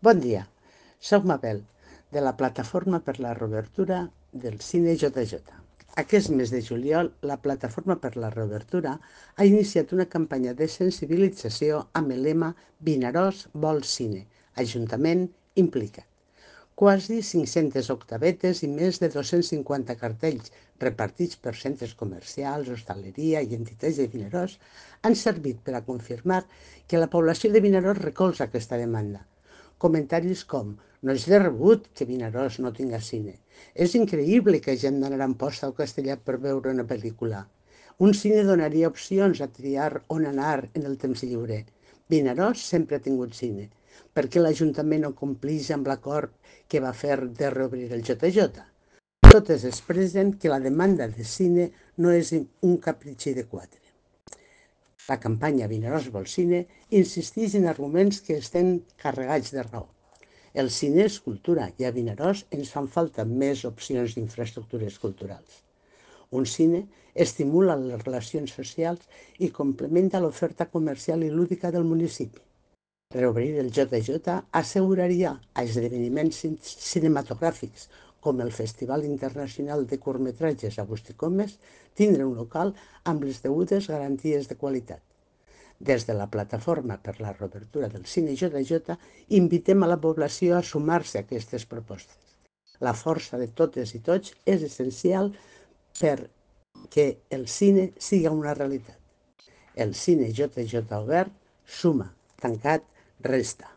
Bon dia, soc Mabel, de la Plataforma per la Reobertura del Cine JJ. Aquest mes de juliol, la Plataforma per la Reobertura ha iniciat una campanya de sensibilització amb el lema Vinaròs vol cine, Ajuntament implicat. Quasi 500 octavetes i més de 250 cartells repartits per centres comercials, hostaleria i entitats de Vinaròs han servit per a confirmar que la població de Vinaròs recolza aquesta demanda. Comentaris com: no és de rebut que Vinaròs no tinga cine. És increïble que hagin d'anar a Amposta o Castellar per veure una pel·lícula. Un cine donaria opcions a triar on anar en el temps lliure. Vinaròs sempre ha tingut cine. Per què l'Ajuntament no compleix amb l'acord que va fer de reobrir el JJ? Totes expressen que la demanda de cine no és un capritxi de quatre. La campanya Vinaròs vol cine insisteix en arguments que estan carregats de raó. El cine és cultura i a Vinaròs ens fan falta més opcions d'infraestructures culturals. Un cine estimula les relacions socials i complementa l'oferta comercial i lúdica del municipi. Reobrir el JJ asseguraria a esdeveniments cinematogràfics com el Festival Internacional de Curtmetratges Agustí Comes tindre un local amb les degudes garanties de qualitat. Des de la Plataforma per la Reobertura del Cine JJ invitem a la població a sumar-se a aquestes propostes. La força de totes i tots és essencial perquè el cine siga una realitat. El cine JJ obert suma, tancat resta.